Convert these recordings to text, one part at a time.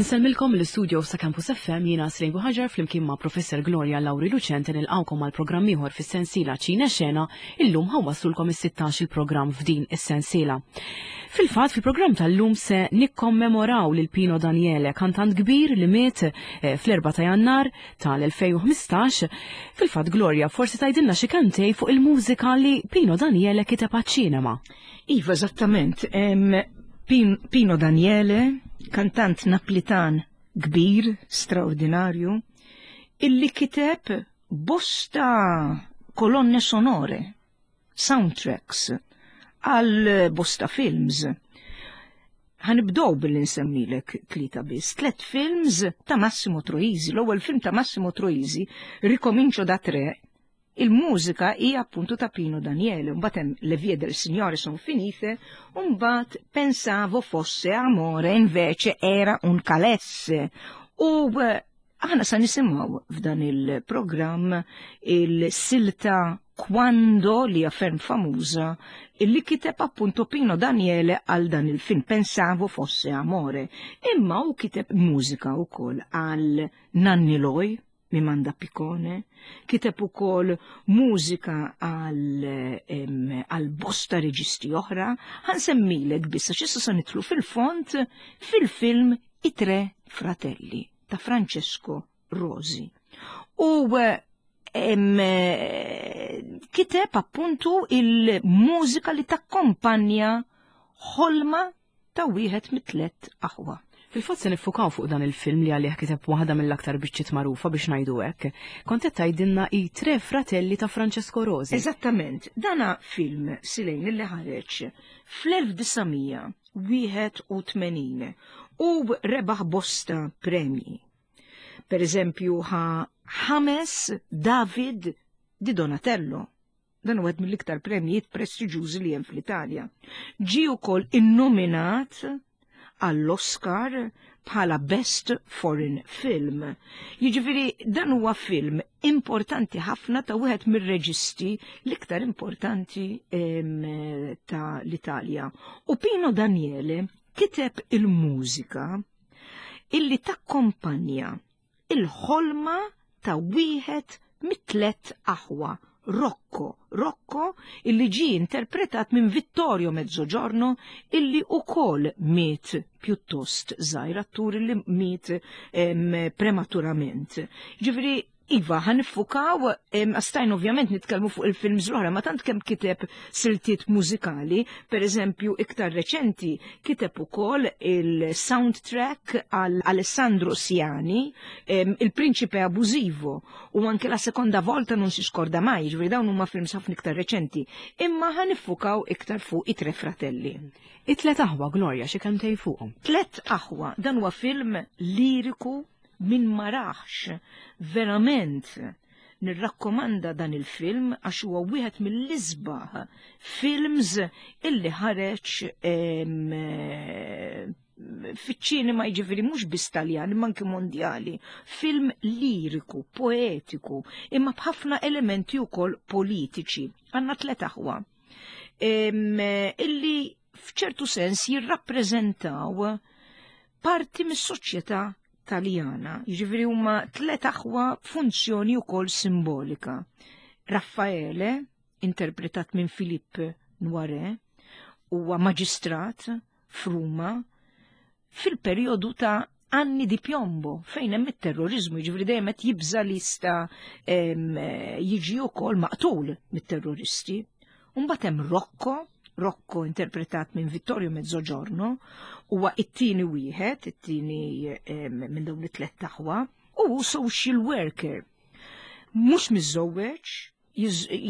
Insellmilkom l-istudio sa' Campus FM jiena Srejn Buħaġar flimkien ma' Professor Gloria Lauri Lucente nilqawkom għal programm ieħor fis-sensiela Ċina Xena illum ħawwaslulkom is-16 il-programm f'din is-sensiela. Fil-fatt fil-programm tal-lum se nikkommemoraw lil Pino Daniele, kantant kbir li miet eh, fl-4 ta' Jannar tal-2015. Fil-fatt Gloria forsi tgħidilna xi kantej fuq il-mużika li Pino Daniele kiteb għaċ-ċinema. Iva, eżattament. Pino Daniele, kantant Naplitan kbir, straordinarju, illi kiteb bosta kolonne sonore, soundtracks, għal bosta films. Ħanibdow billi nsemmilek tlieta biss, tlet films ta' Massimo Troisi. L-ewwel film ta' Massimo Troisi, Ricomincio da Tre, Il-mużika hija appuntu ta' Pino Daniele, mbagħad hemm Le vie del Signore son finite, u mbagħad Pensavo fosse amore invece era un calesse. U eh, aħna sa nisimgħu f'dan il-programm il-silta Quando li hija ferm famuża illi kiteb appunto Pino Daniele għal dan il-film Pensavo fosse amore. Imma u kiteb mużika wkoll għal Nanni Loi, Mimanda Picone, kiteb ukoll mużika għal bosta reġisti oħra, ħansemmilek biss għax issa se nidħlu fil-fond fil-film I Tre Fratelli ta' Francesco Rosi. U kiteb appuntu il-mużika li takkompanja ħolma ta' wieħed mit-tlett aħwa. Fil-fatt se niffukaw fuq dan il-film li għalih kiteb waħda mill-aktar biċċiet magħrufa biex ngħidu hekk. Kont qed tgħidilna i Tre Fratelli ta' Francesco Rosi. Eżattament, dana film Silejn li ħareġ fl-1981 u rebaħ bosta premji. Per eżempju ħa ħames David di Donatello Dan wieħed mill-iktar premjijiet prestiġjużi li hemm fl-Italja. Ġie wkoll innominat għall-Oscar bħala Best Foreign Film. Jiġifieri dan huwa film importanti ħafna ta' wieħed mir-reġisti l-iktar importanti ta' l-Italja. U Pino Daniele kiteb il-mużika illi takkompanja il-ħolma ta' wieħed mit-tlett aħwa, Rocco, Rocco illi ġie interpretat minn Vittorio Mezzogiorno illi ukoll miet pjuttost żgħir, attur illi miet prematurament. Ġifieri Iva, ħa niffukaw, stajn ovvjament nitkellmu fuq il-films l-oħra, ma tant kemm kiteb siltiet mużikali, per eżempju iktar reċenti kiteb ukoll il-soundtrack għal Alessandro Siani, Il-Principe Abusivo, u anke la seconda volta non si scorda mai, ġifieri dawn huma films ħafna iktar reċenti, imma ħa niffukaw iktar fuq i Tre Fratelli. It-Tlet Aħwa, Gloria, xi kelmtejn fuqhom. Tlet Aħwa, dan huwa film liriku min ma rahx verament nirrakkomanda dan il-film għax huwa wieħed mill-isbaħ films illi ħareġ fiċ-ċinema jiġifieri mhux biss Taljan imma anke mondjali. Film liriku, poetiku, imma b'ħafna elementi wkoll politiċi. Għandna tliet aħwa illi f'ċertu sens jirrappreżentaw parti mis-soċjetà Taljana, jiġifieri huma tliet aħwa b'funzjoni wkoll simbolika. Raffaele, interpretat minn Philippe Noiret, huwa maġistrat f'Ruma fil-perjodu ta' anni di piombo fejn hemm it-terrorizmu, jiġifieri dejjem qed jibża' li jista' jiġi wkoll maqtul mit-terroristi. Mbagħad hemm Rocco, Rocco interpretat minn Vittorio Mezzogiorno, huwa it-tieni wieħed, it-tieni minn dawn it-tlet aħwa, u social worker. Mhux miżżewweġ,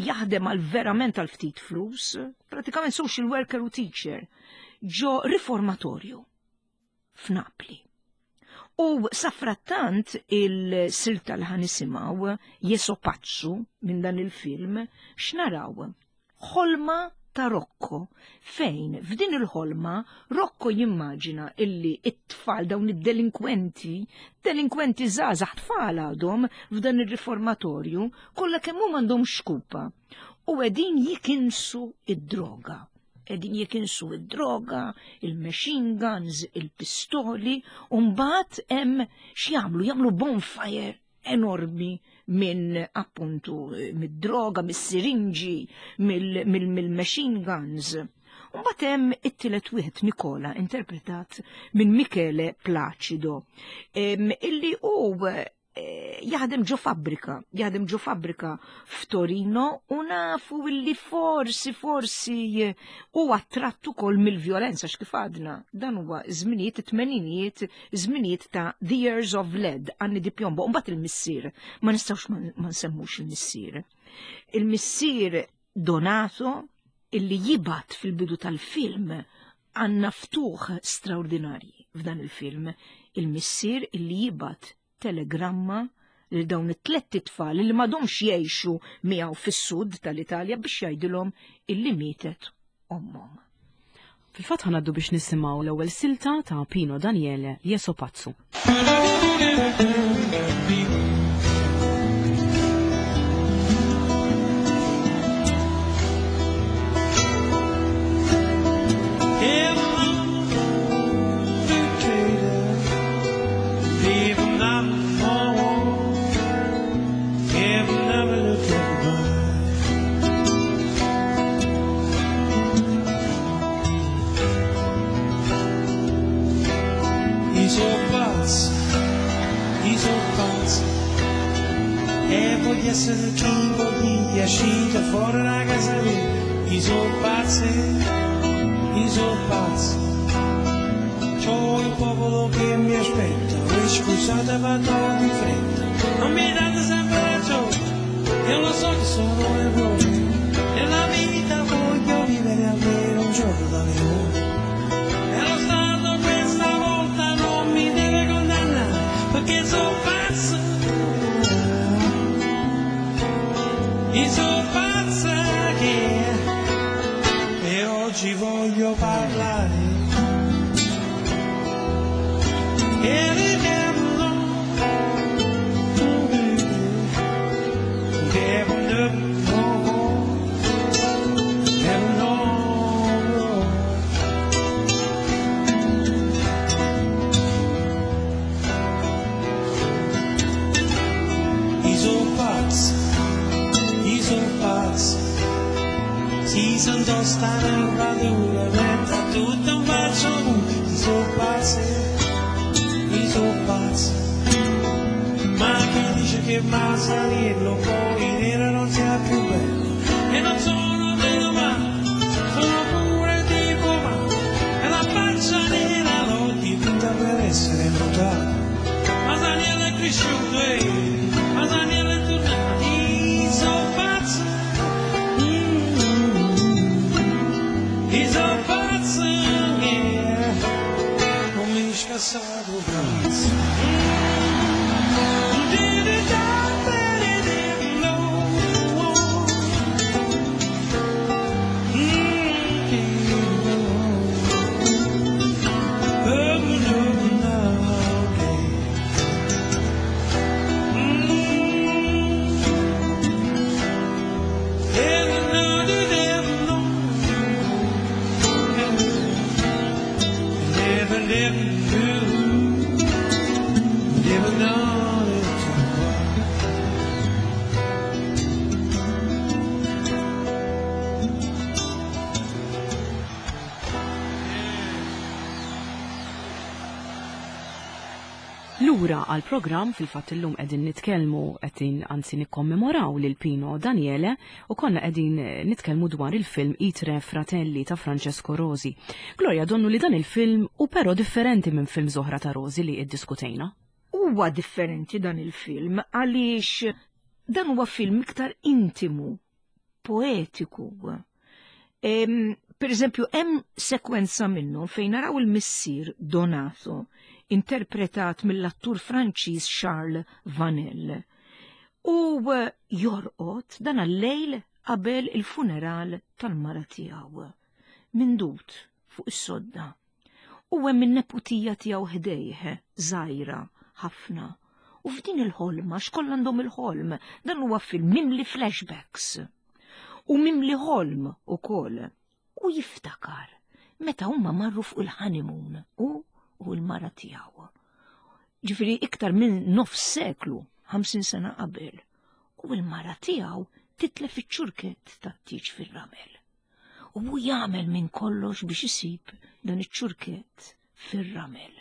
jaħdem għal verament għal ftit flus, pratikament social worker u teacher, ġo riformatorju f'Napli. U safrattant il-silta li ħanisimgħu Jeso Pazzu minn dan il-film x'naraw? Ħolma ta' Rocco, fejn f'din il-ħolma Rocco jimmaġina illi it-tfal dawn id-delinkwenti, delinkwenti żgħażagħ tfal għadhom f'dan ir-riformatorju, kollha kemm huma għandhom xkupa u qegħdin jikinsu id-droga. Qegħdin jikinsu id-droga, il-machine guns, il-pistoli, u mbagħad hemm x'jagħmlu, jagħmlu bonfire enormi minn appuntu mid-droga, mis-sirinġi, mill-machine guns. Mbagħad hemm it-tielet wieħed Nikola interpretat minn Michele Placido, illi hu eh, jaħdem ġo fabbrika, jaħdem ġo fabbrika f'Torino u nafu illi forsi forsi eh, u attratt ukoll mill-vjolenza x'kif għadna. Dan huwa żminijiet it-tmeninijiet, żminijiet ta' The Years of Lead, Anni di Piombo, mbagħad il-missier, ma nistgħux ma nsemmux il-missier. Il-missier Donato illi jibat fil-bidu tal-film għandna ftuħ straordinarji f'dan il-film, il-missier illi jibat telegramma lil dawn it-tlett itfal li m'għadhomx jgħixu miegħu fis-sud tal-Italja biex jgħidilhom illi mietet ommhom. Fil-fatt ħanaddu biex nisimgħu l-ewwel silta ta' Pino Daniele Jeso Pazzu. E voglio essere chi voglio uscito fuori da casa mia. Io sono pazzo, io sono pazzo. C'ho il popolo che mi aspetta, voi scusate vado di fretta. Non mi date sempre ragione, io lo so che sono errori. Nella vita voglio vivere almeno un giorno da leone. E lo Stato questa volta non mi deve condannare, perché sono pazzo. Io sono pazza che e oggi voglio parlare. E Si sono sta nervatura, metta tutto un faccio Io sono pazzo, io sono pazzo. Ma chi dice che Masaniello poi nero non sia più bello? E non sono meno male, sono pure tipo male. E la faccia nera l'ho dipinta per essere notato. Masaniello è cresciuto, eh, Masaniello è tornato. Io sono pazzo, io sono pazzo, yeah. Non mi scassato pazzo. Never known it to Lura għal programm fil-fatt illum qegħdin nitkellmu qegħdin anzi nikkommemoraw lil Pino Daniele u konna qegħdin nitkellmu dwar il-film I Tre Fratelli ta' Francesco Rosi. Gloria, donnu li dan il-film u però differenti minn film oħra ta' Rosi li iddiskutejna. Huwa differenti dan il-film għaliex dan huwa film iktar intimu, poetiku. Per eżempju, hemm sekwenza minnu fejn naraw il-missier Donato, interpretat mill-attur Franċiż Charles Vanel. U jorqod dan għal-lejl qabel il-funeral tal-mara tiegħu. Mindut fuq is-sodda. U hemm in-neputija tiegħu ħdejh, żgħira ħafna. U f'din il-ħolma, x'kollha għandhom il-ħolm, dan huwa film mimli flashbacks. U mimli ħolm ukoll. U jiftakar meta huma marru fuq il-honeymoon u l-mara tiegħu. Ġifieri iktar minn nofs seklu, 50 sena qabel. U l-mara tiegħu titlef iċ-ċurkett tat-tieġ fir-ramel. U hu jagħmel minn kollox biex isib dan iċ-ċurkett fir-ramel.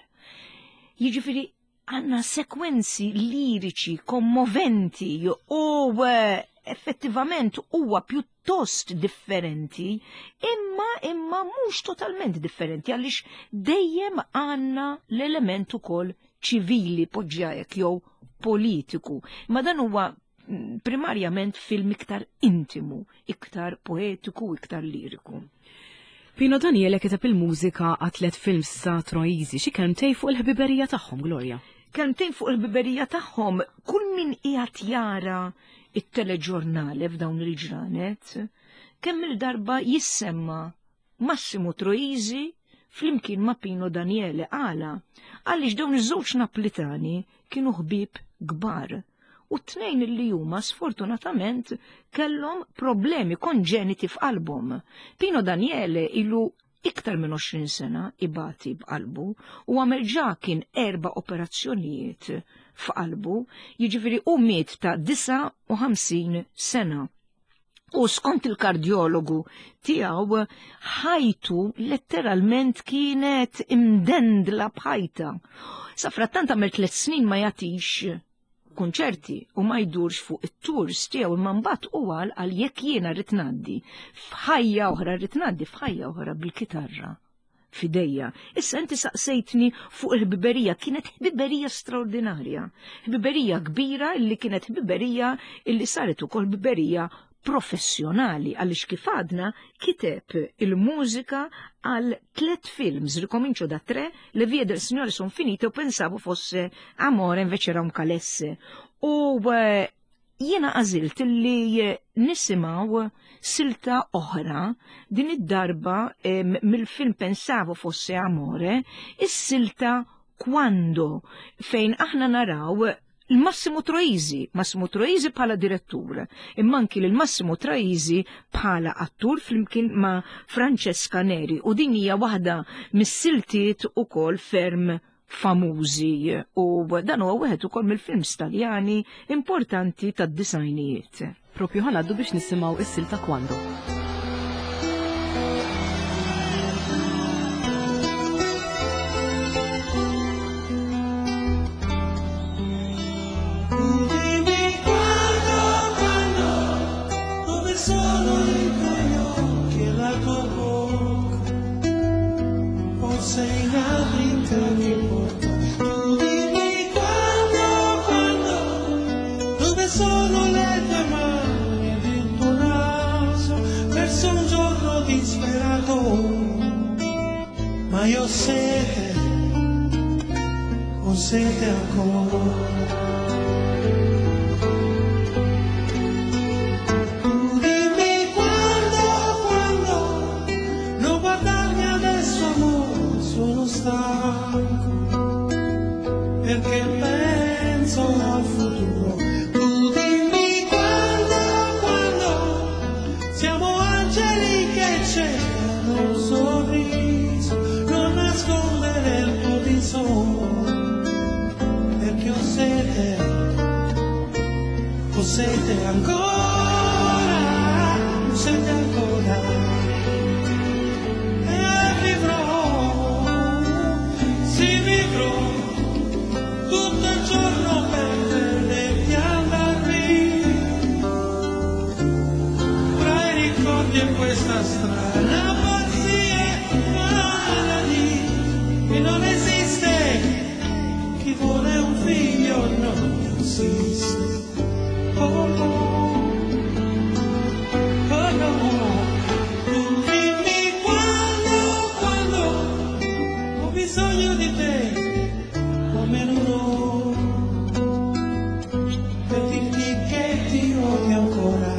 Jiġifieri għandna sekwenzi liriċi kommoventi u eh, effettivament huwa pjuttost differenti, imma imma mhux totalment differenti għaliex dejjem għandna l-element ukoll ċivili poġġja hekk jew politiku. Ma dan huwa mm, primarjament film iktar intimu, iktar poetiku, iktar liriku. Pino Daniele kiteb il-mużika għat tliet films sa Troisi, xi kelmtejn fuq il-ħbiberija tagħhom, Gloria. Kelmtejn fuq il-ħbiberija tagħhom, kull min qiegħed jara it-teleġurnale f'dawn il-ġranet, kemm il-darba jissemma Massimo Troisi flimkien ma' Pino Daniele għala għaliex dawn iż-żewġ Naplitani kienu ħbieb kbar u t-tnejn li huma sfortunatament kellhom problemi konġeniti f'qalbhom. Pino Daniele ilu iktar minn 20 sena ibati b'qalbu u għamel ġa kien erba' operazzjonijiet f'qalbu, jiġifieri u miet ta' 59 sena. U skont il-kardjologu tiegħu ħajtu letteralment kienet imdendla b'ħajta. Sa frattant għamel tliet snin ma jagħtix kunċerti u ma jdurx fuq it-tours tiegħu imma mbagħad u għal għal jekk jiena rrid ngħaddi f'ħajja oħra rrid ngħaddi f'ħajja oħra bil-kitarra f'idejja. Issa inti saqsejtni fuq il-ħbiberija, kienet ħbiberija straordinarja. Ħbiberija kbira illi kienet ħbiberija illi saret ukoll ħbiberija professjonali għaliex kif għadna kiteb il-mużika għal tlet films, Ricomincio da tre, Le vie del Signore son finite u pensavo fosse Amore invece era un calesse. U eh, Jiena għażilt li nisimgħu silta oħra din id-darba mill-film Pensavo fosse amore, is-silta Quando fejn aħna naraw l-Massimo Troisi, Massimo Troisi bħala direttur, imma anki lil Massimo Troisi bħala attur flimkien ma' Francesca Neri u din hija waħda mis-siltiet ukoll ferm famużi u dan huwa wieħed ukoll mill-films Taljani importanti tad-disajnijiet. Propju ħanaddu biex nisimgħu is-silta Quando. Ma io ho sete, ho sete ancora. Tu dimmi quando, quando, non guardarmi adesso amore, sono stanco, perché penso al futuro. Tu dimmi quando, quando, siamo angeli che cercano un sorriso, non nascondere il tuo viso, perché ho sete, ho sete ancora, ho sete ancora. E vivrò, sì vivrò, tutto il giorno per vederti andar via. Tra i ricordi e questa strana pazzia maladì che non esiste, chi vuole un figlio non insiste. Oh no, oh no. Tu dimmi quando, quando ho bisogno di te, come un'ora, per dirti che ti odio ancora.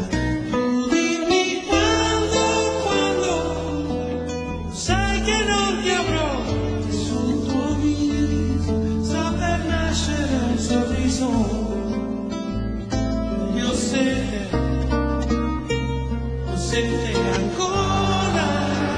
Tu dimmi quando, quando, sai che non ti avrò sul tuo viso, sta per nascere un sorriso. Io ho sete ancora.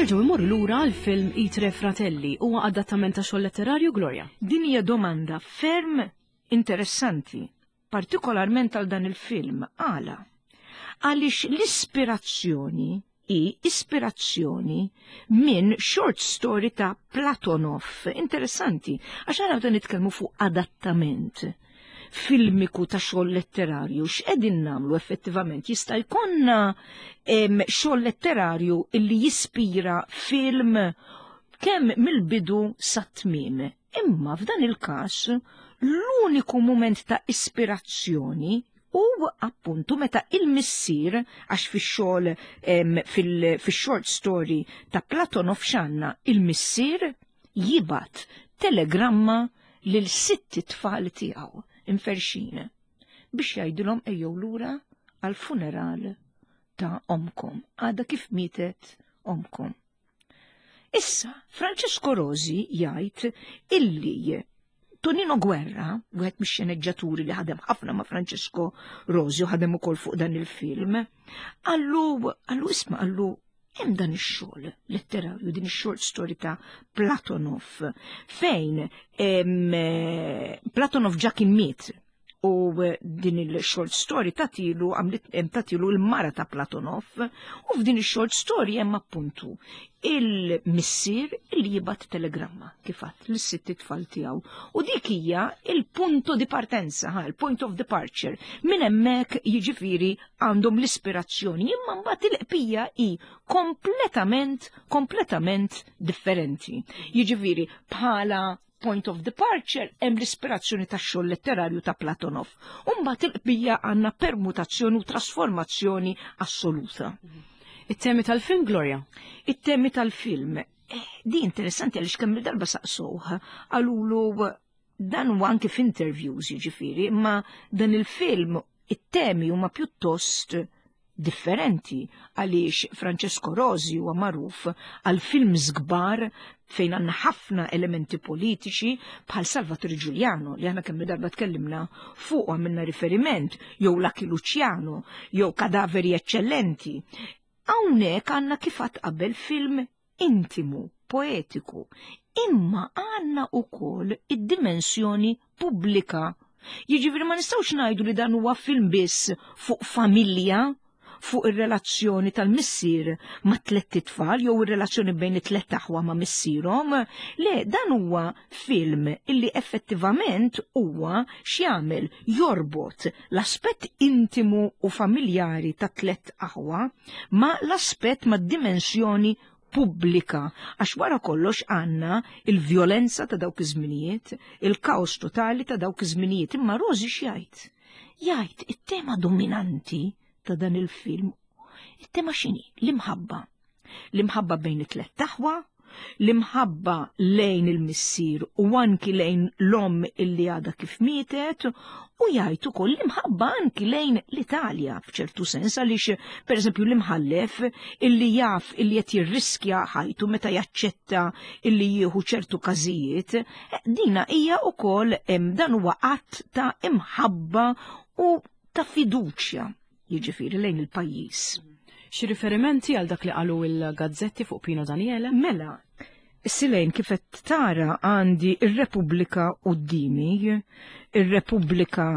Nerġgħu immorru lura għal film I Tre Fratelli huwa adattament ta' xogħol letterarju Gloria. Din hija domanda ferm interessanti, partikolarment għal dan il-film. Għala? Għaliex l-ispirazzjoni hi ispirazzjoni minn short story ta' Platonov. Interessanti, għax għara meta nitkellmu fuq adattament filmiku ta' xogħol letterarju, x'qegħdin nagħmlu effettivament? Jista' jkollna xogħol letterarju illi jispira film kemm mill-bidu sat-tmiem. Imma f'dan il-każ l-uniku mument ta' ispirazzjoni u appuntu meta il-missier għax fix-xogħol fix-short story ta' Platonov x'għandna il-missier jibgħat telegramma lil sitt tfal tiegħu imferxin biex jgħidilhom ejjew lura għall-funeral ta' omkom għadha kif mietet omkom. Issa, Francesco Rosi jgħid illi Tonino Guerra, wieħed mix-xeneġġaturi li ħadem ħafna ma' Francesco Rosi u ħadem ukoll fuq dan il-film, qallu qallu isma' qallu hemm dan ix-xogħol letterarju, din ix-short story ta' Platonov, fejn Platonov ġa kien miet u din il-short story tatilu għamlet tatilu l-mara ta' Platonov u f'din il-short story hemm appuntu il-missier li jibgħat telegramma kif għadt lis-sitt tfal tiegħu. U dik hija il-punto di partenza, ha, il-point of departure. Minn hemmhekk jiġifieri għandhom l-ispirazzjoni, imma mbagħad il-qbija hi kompletament, kompletament differenti. Jiġifieri bħala point of departure hemm l-ispirazzjoni tax-xogħol letterarju ta' Platonov. U mbagħad il-qbija għandna permutazzjoni u trasformazzjoni assoluta. It-temi tal-film, Gloria? It-temi tal-film. Di interessanti għaliex kemm il-darba saqsuh, qalulu dan huwa anki f'interviews jiġifieri, imma dan il-film it-temi huma pjuttost differenti għaliex Francesco Rosi huwa magħruf għal films kbar fejn għandna ħafna elementi politiċi bħal Salvatore Giuliano li aħna kemm darba tkellimna fuq għamilna riferiment jew Lucky Luciano jew Kadaveri Eccellenti. Hawnhekk għandna kif għad qabel film intimu, poetiku, imma għandna wkoll id-dimensjoni pubblika. Jiġifieri ma nistgħux ngħidu li dan huwa film biss fuq familja, fuq ir-relazzjoni tal-missier ma' tlett itfal jew ir-relazzjoni bejn it-tlett aħwa ma' missierhom. Le, dan huwa film illi effettivament huwa x'jagħmel jorbot l-aspett intimu u familjari ta' tlett aħwa ma' l-aspett ma' dimensjoni pubblika, għax wara kollox għandna il-vjolenza ta' dawk iż-żminijiet, il-kaos totali ta' dawk iż-żminijiet. Imma Rosi x'jgħid? Jgħid it-tema dominanti ta' dan il-film, it-tema x'inhi? L-imħabba. L-imħabba bejn it-tlett aħwa, l-imħabba lejn il-missier u anki lejn l-omm illi għadha kif mietet, u jgħid ukoll l-imħabba anki lejn l-Italja f'ċertu sens għaliex pereżempju l-imħallef illi jaf illi qed jirriskja ħajtu meta jaċċetta illi jieħu ċertu każijiet, dina hija ukoll dan huwa att ta' imħabba u ta' fiduċja jiġifieri lejn il-pajjiż. Xi riferimenti għal dak li qalu il-gazzetti fuq Pino Daniele? Mela, Silejn kif qed tara għandi ir-Repubblika quddiemi, ir-Repubblika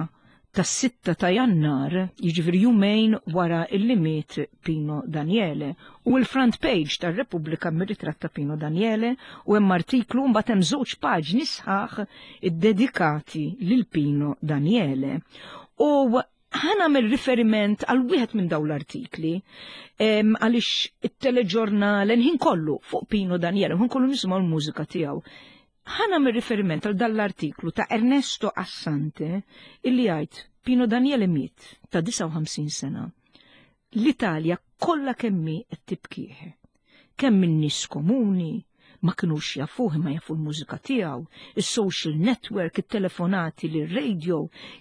tas-6 ta' Jannar, jiġifieri jumejn wara illi miet Pino Daniele. U l-front page tar-Repubblika mir-ritratt ta' Pino Daniele u hemm artiklu mbagħad hemm żewġ paġni sħaħ iddedikati lil Pino Daniele. U ħa nagħmel riferiment għal wieħed minn dawn l-artikli għaliex it-teleġurnal ħin kollu fuq Pino Daniele, ħin kollu nisimgħu l-mużika tiegħu. Ħa nagħmel riferiment għal dan l-artiklu ta' Ernesto Assante illi jgħid Pino Daniele miet ta' 59 sena. L-Italja kollha kemm hi qed tibkih. Kemm in-nies komuni ma kinux jafuh imma jafu l-mużika tiegħu, is-social network, it-telefonati lir-radio,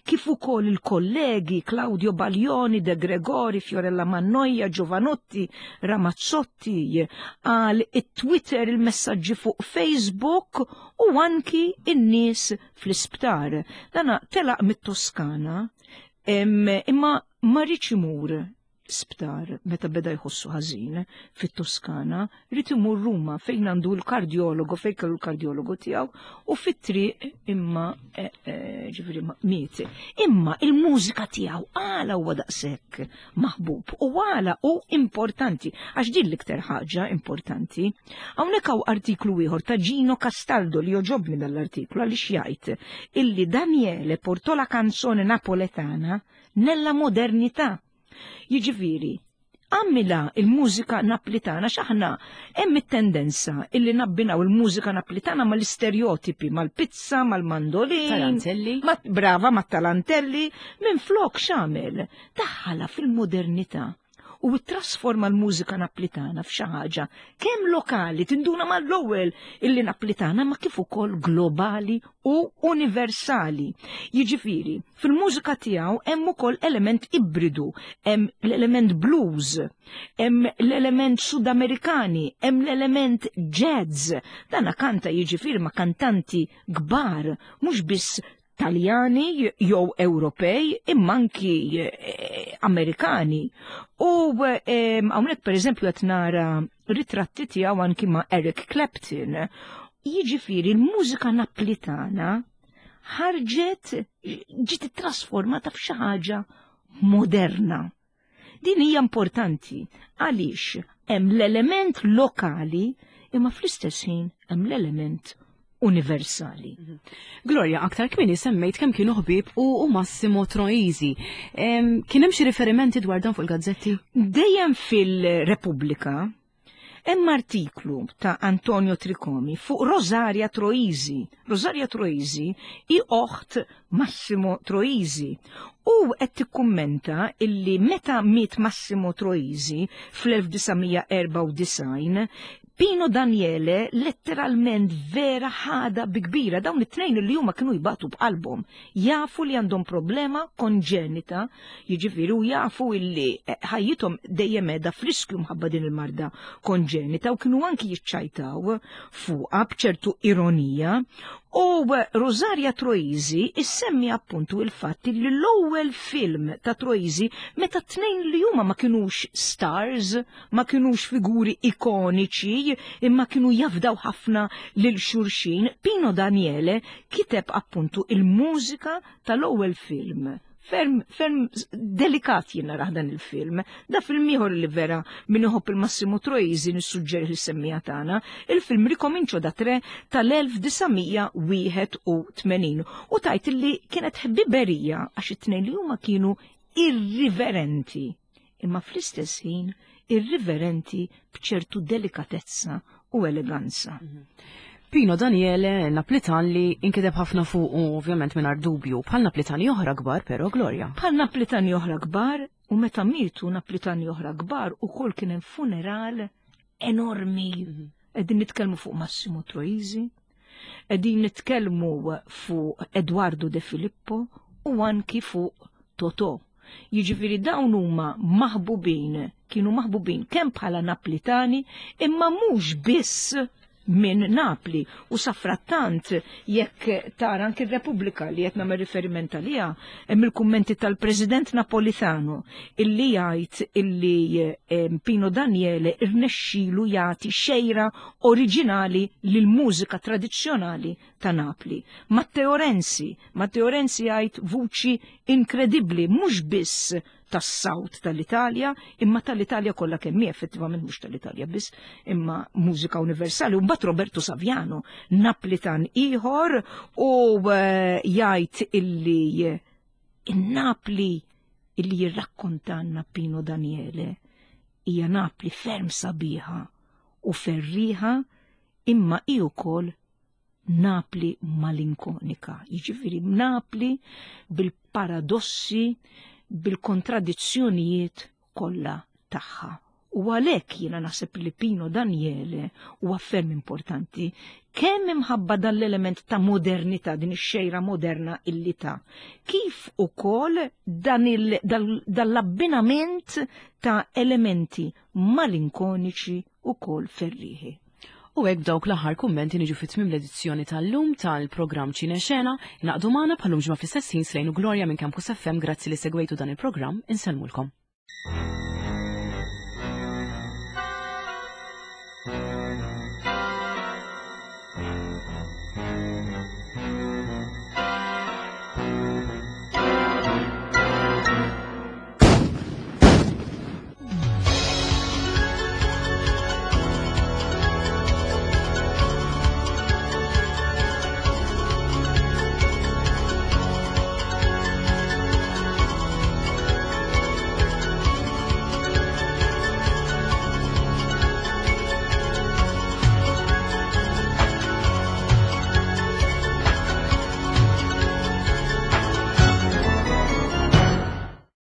kif ukoll il-kollegi Claudio Baglioni, De Gregori, Fiorella Mannoia, Giovanotti, Ramazzotti, għal it-Twitter, il-messaġġi fuq Facebook u anki in-nies fl-isptar. Dana telaq mit-Toskana, imma ma riedx imur. sptar meta beda jħossu ħażin fit-Toskana, ried imur Ruma fejn għandu l-kardjologu, fejn kellu l-kardjologu tiegħu u fit-triq imma eh, eh, ġifieri miet. Imma il-mużika tiegħu għala huwa daqshekk maħbub u għala u importanti għax din l-iktar ħaġa importanti. Hawnhekk hawn artiklu ieħor ta' Gino Castaldo li joġobni dal-artiklu għaliex jgħid illi Daniele portò la canzone napoletana nella modernità. Jiġifieri, għamilha il-mużika naplitana x'aħna hemm it-tendenza illi nabbinaw il-mużika naplitana mal-istereotipi, mal-pizza, mal-mandolin. Tarantelli. Ma, brava, mat-tarantelli, minn flok x'għamel? Daħħala fil-modernità u trasforma l-mużika naplitana f'xi ħaġa kemm lokali tinduna mal-ewwel illi naplitana ma kif ukoll globali u universali. Jiġifieri, fil-mużika tiegħu hemm ukoll element ibridu, hemm l-element blues, hemm l-element Sudamerikani, hemm l-element jazz. Dana kanta jiġifieri ma' kantanti kbar, mhux biss Taljani jew Ewropej imma anki eh, Amerikani. U eh, hawnhekk pereżempju qed nara ritratti tiegħu anki ma' Eric Clapton. Jiġifieri l-mużika Naplitana ħarġet ġiet trasformata f'xi ħaġa moderna. Din hija importanti għaliex hemm l-element lokali imma fl-istess ħin hemm l-element universali. Mhm. Gloria, aktar kmieni semmejt kemm kienu ħbieb u Massimo Troisi. Kien hemm xi riferimenti dwar dan fuq il-gazzetti? Dejjem fil-Repubblika hemm artiklu ta' Antonio Tricomi fuq Rosaria Troisi. Rosaria Troisi hi oħt Massimo Troisi u qed tikkummenta illi meta miet Massimo Troisi fl-1994 Pino Daniele letteralment vera ħada bi kbira dawn it-tnejn li huma kienu jbatu b'qalbhom. Jafu li għandhom problema konġenita, jiġifieri u jafu illi eh, ħajjithom dejjem qiegħda f'riskju mħabba din il-marda konġenita u kienu anki jiċċajtaw fuqha b'ċertu ironija. U Rosaria Troisi issemmi appuntu il-fatt li l-ewwel film ta' Troisi meta t-tnejn li huma ma kinux stars, ma kinux figuri ikoniċi, imma kienu jafdaw ħafna lil xulxin, Pino Daniele kiteb appuntu il-mużika tal-ewwel film. Ferm, ferm delikat jien narah dan il-film. Da film ieħor li vera min iħobb il-Massimo Troisi nissuġġeri li semmija tagħna, il-film Ricomincio da Tre tal-1981 u tajt li kienet ħbiberija għax it-tnejn li huma kienu irriverenti, imma fl-istess ħin irriverenti b'ċertu delikatezza u eleganza. Mhm. Pino Daniele, Naplitan li inkiteb ħafna fuq u ovvjament mingħajr dubju, bħal Naplitani oħra kbar però Gloria. Bħal Naplitani oħra kbar u meta mietu Naplitani oħra kbar ukoll kien hemm funeral enormi. Mhm. Qegħdin nitkellmu fuq Massimo Troisi, qegħdin nitkellmu fuq Eduardo De Filippo u anki fuq Totò. Jiġifieri dawn huma maħbubin, kienu maħbubin kemm bħala Naplitani imma mhux biss minn Napli u safrattant jekk tara anki r-Repubblika li qed nagħmel riferiment għaliha hemm il-kummenti tal-President Napolitano illi jgħid illi eh, Pino Daniele irnexxilu jagħti xejra oriġinali lill-mużika tradizzjonali ta' Napli. Matteo Renzi, Matteo Renzi jgħid vuċi inkredibbli mhux biss tas-South tal-Italja, imma tal-Italja kollha kemm hi effettivament mhux tal-Italja biss, imma mużika universali. U mbagħad Roberto Saviano, Naplitan ieħor u eh, jgħid illi in-Napli illi jirrakkontanna Pino Daniele hija Napli ferm sabiħa u ferriħa imma hi wkoll Napli malinkonika, jiġifieri Napli bil-paradossi, bil-kontradizzjonijiet kollha tagħha. U għalhekk jiena naħseb li Pino Daniele huwa ferm importanti kemm imħabba dan l-element ta' modernità, din ix-xejra moderna illi ta' kif ukoll dan l-abbinament ta' elementi malinkoniċi ukoll ferrieħi. U hekk b'dawk l-aħħar kummenti niġu fi tmiem l-edizzjoni tal-lum tal-programm Ċine Xena, naqdu magħna bħalum ġimgħa fl-istess ħin Slejn u Gloria minn Campus FM grazzi li segwejtu dan il-programm, insellmulkom.